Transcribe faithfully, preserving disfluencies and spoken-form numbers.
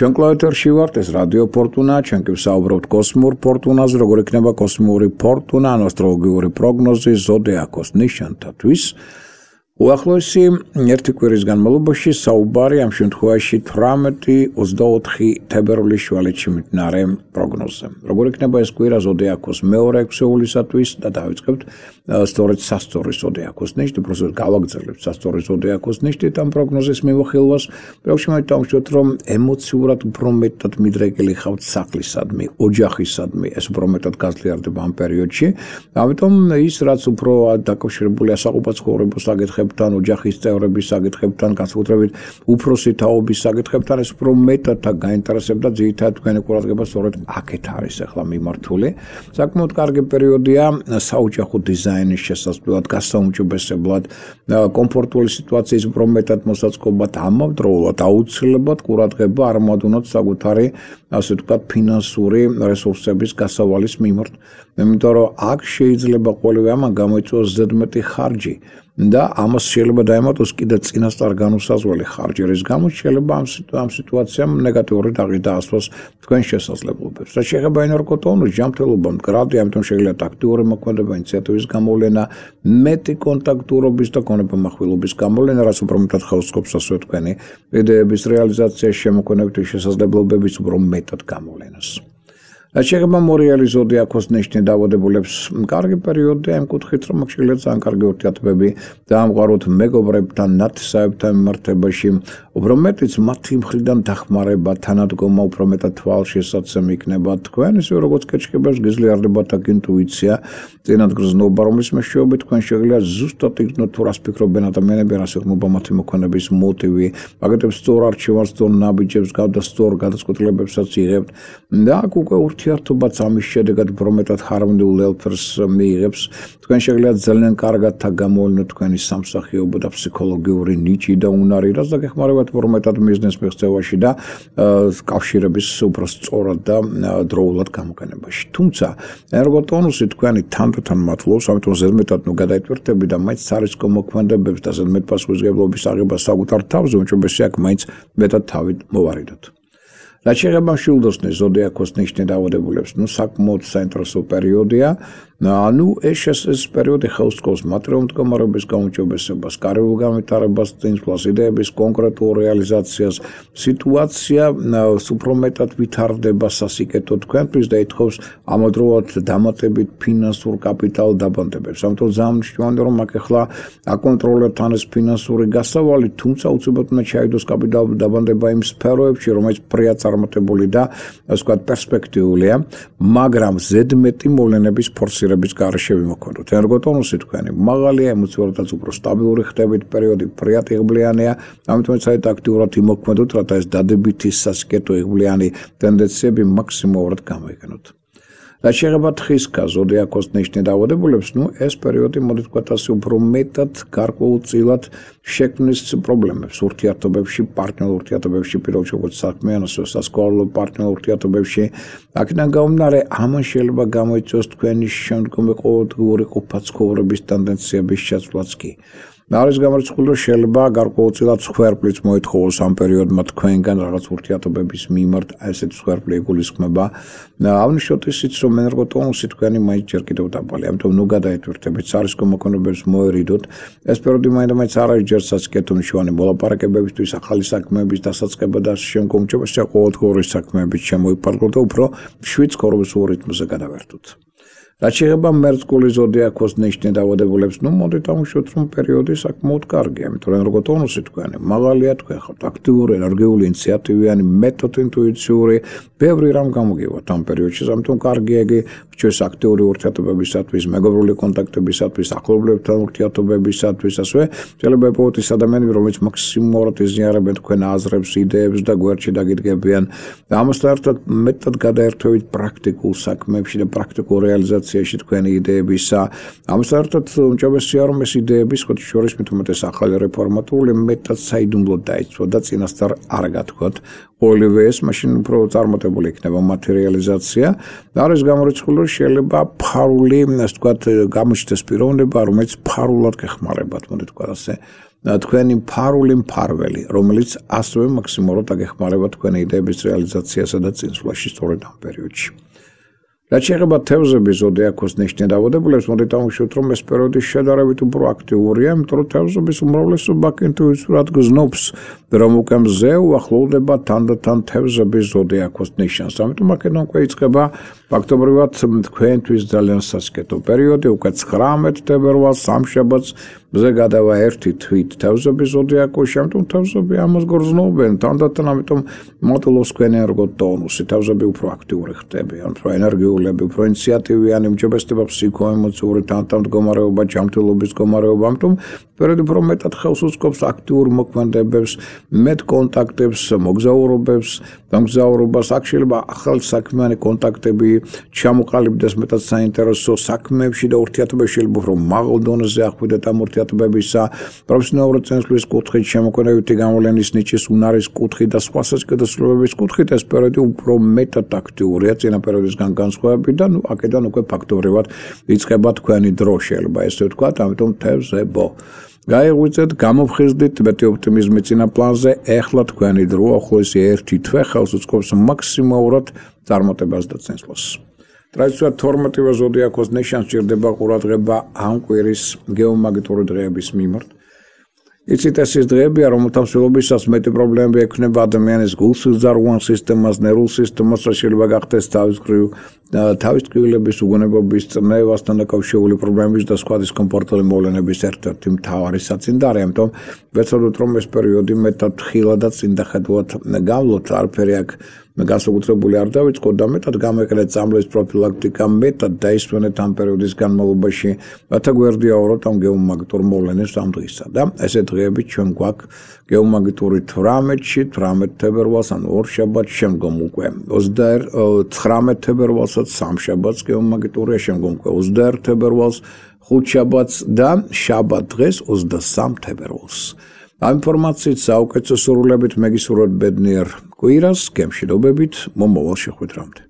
ჩვენ კლავეთერში ვართ, ეს რადიო ფორტუნა, ჩვენ კი ვსაუბრობთ კოსმურ ფორტუნაზე, როგორ იქნება კოსმიური ფორტუნა, ასტროლოგიური პროგნოზი ზოდიაქოს ნიშანთათვის. უახლოესი ერთი კვირის განმავლობაში საუბარი ამ შემთხვევაში თვრამეტი ოცდაოთხი თებერვლის შუალედში მიმდინარე პროგნოზზე. როგორ იქნება ეს კვირა ზოდიაქოს მეორე ექვსეულისათვის და დავიწყებთ სწორედ სასწორი ზოდიაქოს ნიშნით, უბრალოდ გავაგრძელებთ სასწორი ზოდიაქოს ნიშნით ამ პროგნოზის მიმოხილვას. პირველში მოიტანხმოთ, რომ ემოციურად უფრო მეტად მიდრეკილი ხავთ სახლისადმი, ოჯახისადმი, ეს უფრო მეტად გაზლიარდება ამ პერიოდში. ამიტომ ის, რაც უფრო დაკავშირებულია საყოფაცხოვრებო საკითხებთან, ოჯახის წევრების საკითხებთან, განსაკუთრებით უფროსი თაობის საკითხებთან, ეს უფრო მეტად გაინტერესებდა ძირითადად თქვენი ყურადღება სწორედ აქეთ არის ახლა მიმართული. საკმაოდ კარგი პერიოდია საოჯახო დიზაინის შესაძლებლად, გასაუმჯობესებლად, კომფორტული სიტუაციის უფრო მეტად მოსაწყობად, ამავდროულად აუცილებლად ყურადღება არ მოდუნოთ საკუთარი, ასე ვთქვათ, ფინანსური რესურსების გასავალის მიმართ. იმიტომ რომ აქ შეიძლება ყოველივე ამან გამოიწვიოს ზედმეტი ხარჯი და ამას შეიძლება დაემატოს კიდე წინასწარ განუსაზღვრელი ხარჯი, რის გამოც შეიძლება ამ ამ სიტუაციამ ნეგატიური დაღი დაასვას თქვენ შესაძლებლობებს. რაც შეეხება ენერგოტონუსს, ჯანმრთელობა მდგრადი, ამიტომ შეიძლება ტაქტიური მოქმედება, ინიციატივის გამოვლენა, მეტი კონტაქტურობის და გონებამახვილობის გამოვლენა, რაც უფრო მეტად ხელს სწყობს ასე თქვენი იდეების რეალიზაციაში შემოქმედებითი შესაძლებლობების უფრო მეტად გამოვლენას. რაც შეეხება მორიელი ზოდიაქოს ნიშნით დაავადებულებს, კარგი პერიოდია იმ კუთხით, რომ აქ შეიძლება ძალიან კარგი ურთიერთობები დაამყაროთ მეგობრებთან, ნათესავებთან მიმართებაში, უფრო მეტიც მათი მხრიდან დახმარება, თანადგომა უფრო მეტად თვალშესაცემი იქნება თქვენ, ისე როგორც კეჩქებებს გიძლიარდებათ აქ ინტუიცია, წინადგრძნობა, რომლის მეშვეობით თქვენ შეგიძლიათ ზუსტად იგნოთ თუ რას ფიქრობენ ადამიანები, რას ეხმობა მათი მოქმედების მოტივი, აგეთებს სწორ არჩევანს, სწორ ნაბიჯებს, გავდა სწორ გადაწყვეტილებებსაც იღებთ და აქ უკვე ურთიერთობაც ამის შედეგად უფრო მეტად ჰარმონიულ ელფერს მიიღებს. თქვენ შეგიძლიათ ძალიან კარგად გამოვლინოთ თქვენი სამსახიობო და ფსიქოლოგიური ნიჭი და უნარი, რაც დაგეხმარებათ უფრო მეტად ბიზნეს მიღწევაში და კავშირების უფრო სწორად და დროულად გამოყენებაში. თუმცა ენერგოტონუსი თქვენი თანდათან მათლობს, ამიტომ ზედმეტად ნუ გადაიტვირთები და მაინც სარისკო მოქმედებებს და ზედმეტ პასუხისმგებლობის აღებას საკუთარ თავზე, უმჯობესია აქ მაინც მეტად თავით მოვარიდოთ. რაც შეეხება მშვილდოსნის ზოდიაქოს ნიშნით დაავადებულებს, ნუ საკმაოდ საინტერესო პერიოდია. ანუ ეს ეს პერიოდი ხელს სწყობს მატერიალურ მდგომარეობის გაუმჯობესებას, კარიერულ განვითარებას, წინსვლას, იდეების კონკრეტულ რეალიზაციას. სიტუაცია უფრო მეტად ვითარდება სასიკეთო თქვენთვის და ითხოვს ამავდროულად დამატებით ფინანსურ კაპიტალ დაბანდებებს. ამიტომ ძალიან მნიშვნელოვანია, რომ აქ ახლა აკონტროლოთ თან ეს ფინანსური გასავალი, თუმცა უცებად უნდა ჩაიდოს კაპიტალ დაბანდება იმ სფეროებში, რომელიც პრია წარმატებული და ასე ვთქვათ პერსპექტიულია, მაგრამ ზედმეტი მოვლენების ფორსირება გარეშე ვიმოქმედოთ. ენერგოტონუსი თქვენი მაღალია, ემოციურადაც უფრო სტაბილური ხდებით, პერიოდი პრიატიღბლიანია, ამიტომ საერთოდ აქტიურად იმოქმედოთ, რათა ეს დადებითი სასიკეთო იღბლიანი ტენდენციები მაქსიმალურად გამოიყენოთ. რაც შეეხება თხისკა ზოდიაქოს ნიშნით დაავადებულებს, ნუ ეს პერიოდი მოდი ვთქვათ ასე უფრო მეტად გარკვეულწილად შექმნის პრობლემებს ურთიერთობებში, პარტნიორულ ურთიერთობებში, პირველში როგორც საქმიან, ასევე სასკოლო პარტნიორულ ურთიერთობებში. აქედან გამომდინარე, ამან შეიძლება გამოიწვიოს თქვენი შემდგომი ყოველდღიური ყოფაცხოვრების ტენდენციების შეცვლაც კი. არის გამორიცხული, რომ შეიძლება გარკვეულწილად სხვერპლიც მოითხოვოს ამ პერიოდმა თქვენგან რაღაც ურთიერთობების მიმართ, ესეთი სხვერპლი იგულისხმება. აღნიშნოთ ისიც, რომ ენერგოტონუსი თქვენი მაინც ჯერ კიდევ დაბალი, ამიტომ ნუ გადაიტვირთებით, სარისკო მოქმედებებს მოერიდოთ. ეს პერიოდი მაინც არ არის ჯერ სასიკეთო მნიშვნელოვანი მოლაპარაკებებისთვის, ახალი საქმეების დასაწყება და შემდგომ უჭირესია ყოველდღიური საქმეებით შემოიფარგლოთ და უფრო მშვიდ ცხოვრებისულ რიტმზე გადავერთოთ. რაც შეეხება მერწყული ზოდიაქოს ნიშნით დაავადებულებს, ნუ მოდით ამოვშოთ, რომ პერიოდი საკმაოდ კარგია, იმიტომ რომ ენერგოტონუსი თქვენი მაღალია, თქვენ ხართ აქტიური, ენერგიული, ინიციატივიანი, მეტოდ ინტუიციური, ბევრი რამ გამოგივათ ამ პერიოდში, ამიტომ კარგია იგი ჩვენს აქტიური ურთიერთობებისათვის, მეგობრული კონტაქტებისათვის, ახლობლებთან ურთიერთობებისათვის, ასევე შეიძლება იპოვოთ ის ადამიანები, რომლებიც მაქსიმალურად იზიარებენ თქვენ აზრებს, იდეებს და გვერდში დაგიდგებიან. ამასთან ერთად მეტად გადაერთვებით პრაქტიკულ საქმეებში და პრაქტიკულ რეალიზაციაში თქვენი იდეებისა. ამასთან ერთად უმჯობესია, რომ ეს იდეები სხვათა შორის მით უმეტეს ახალი რეფორმატული მეტად საიდუმლოდ დაიცვა და წინასწარ არ გათქვათ. ყოველივე ეს მაშინ უფრო წარმატებული იქნება მატერიალიზაცია. არის გამორიცხული, რომ შეიძლება ფარული, ასე ვთქვათ, გამოჩნდეს პიროვნება, რომელიც ფარულად გეხმარებათ, მოდი ვთქვათ ასე. თქვენი მფარული მფარველი, რომელიც ასევე მაქსიმალურად აგეხმარება თქვენი იდეების რეალიზაციასა და წინსვლაში სწორედ ამ პერიოდში. რაც შეეხება თევზების ზოდიაქოს ნიშნით დაბადებულებს, მოდით ამოვშევთ, რომ ეს პერიოდი შედარებით უფრო აქტიურია, იმიტომ რომ თევზების უმრავლესობა ინტუიტიურად გზნობს, რომ უკვე მზე უახლოვდება თანდათან თევზების ზოდიაქოს ნიშანს. ამიტომ აქედან უკვე იწყება ფაქტობრივად თქვენთვის ძალიან სასიკეთო პერიოდი, უკვე ცხრამეტ თებერვალს სამშაბათს მზე გადავა ერთი თვით თევზების ზოდიაქოში, ამიტომ თევზები ამას გრძნობენ თანდათან, ამიტომ მოდულობს თქვენი ენერგოტონუსი, თევზები უფრო აქტიური ხდებიან, უფრო ენერგიულები, უფრო ინიციატივიანი, უმჯობესდება ფსიქოემოციური თანამდგომარეობა, ჯანმრთელობის მდგომარეობა, ამიტომ პერიოდი უფრო მეტად ხელს უწყობს აქტიურ მოქმედებებს, მეტ კონტაქტებს, მოგზაურობებს, გამგზავრობას, აქ შეიძლება ახალი საქმიანი კონტაქტები ჩამოყალიბდეს მეტად საინტერესო საქმეებში და ურთიერთობები შეიძლება უფრო მაღალ დონეზე ახვიდეთ ამ ურთიერთობებისა, პროფესიონალური წინსვლის კუთხით, შემოქმედებითი გამოვლენის ნიჭის უნარის კუთხით და სხვა საზოგადოებრივების კუთხით ეს პერიოდი უფრო მეტად აქტიურია წინა პერიოდისგან განსხვავებით და ნუ აქედან უკვე ფაქტობრივად იწყება თქვენი დრო, შეიძლება ესე ვთქვათ, ამიტომ თევზებო გაიღვიძეთ, გამოფხიზდით მეტი ოპტიმიზმი წინა პლანზე, ეხლა თქვენი დრო, ახლოესი ერთი თვე ხელს უწყობს მაქსიმალურად წარმატებას და წინსვლას. ტრადიციულად თორმეტივე ზოდიაქოს ნიშანს ჭირდება ყურადღება ამ კვირის გეომაგნიტური დღეების მიმართ. იცით, ეს ის დღეებია, რომელთა მსვლელობისას მეტი პრობლემები ექმნება ადამიანის გულსიზრდაროვან სისტემას, ნერვულ სისტემას, რაც შეიძლება გახდეს თავის მხრივ თავის ტკივილების უგონებობის, წნევასთან დაკავშირებული პრობლემების და სხვა დისკომფორტული მოვლენების ერთ-ერთი მთავარი საწინდარი, ამიტომ ვეცადოთ, რომ ეს პერიოდი მეტად ხილად და წინდახედულად გავლოთ, არაფერი აქ განსაკუთრებული არ დავიწყოთ და მეტად გამეკრეთ წამლის პროფილაქტიკა, მეტად დაისვენეთ ამ პერიოდის განმავლობაში, რათა გვერდიაუროთ ამ გეომაგნიტურ მოვლენებს ამ დღისა და ესე დღეებით ჩვენ გვაქვს გეომაგნიტური თვრამეტში, თვრამეტ თებერვალს, ანუ ორშაბათს, შემდგომ უკვე ცხრამეტ თებერვალსაც, სამშაბათს გეომაგნიტურია, შემდგომ უკვე ოცდაერთ თებერვალს, ხუთშაბათს და შაბათ დღეს ოცდასამ თებერვალს. ამ ინფორმაციით საუკეთესო სურვილებით მეგისურვებთ ბედნიერ კვირას, გემშვიდობებით, მომავალ შეხვედრამდე.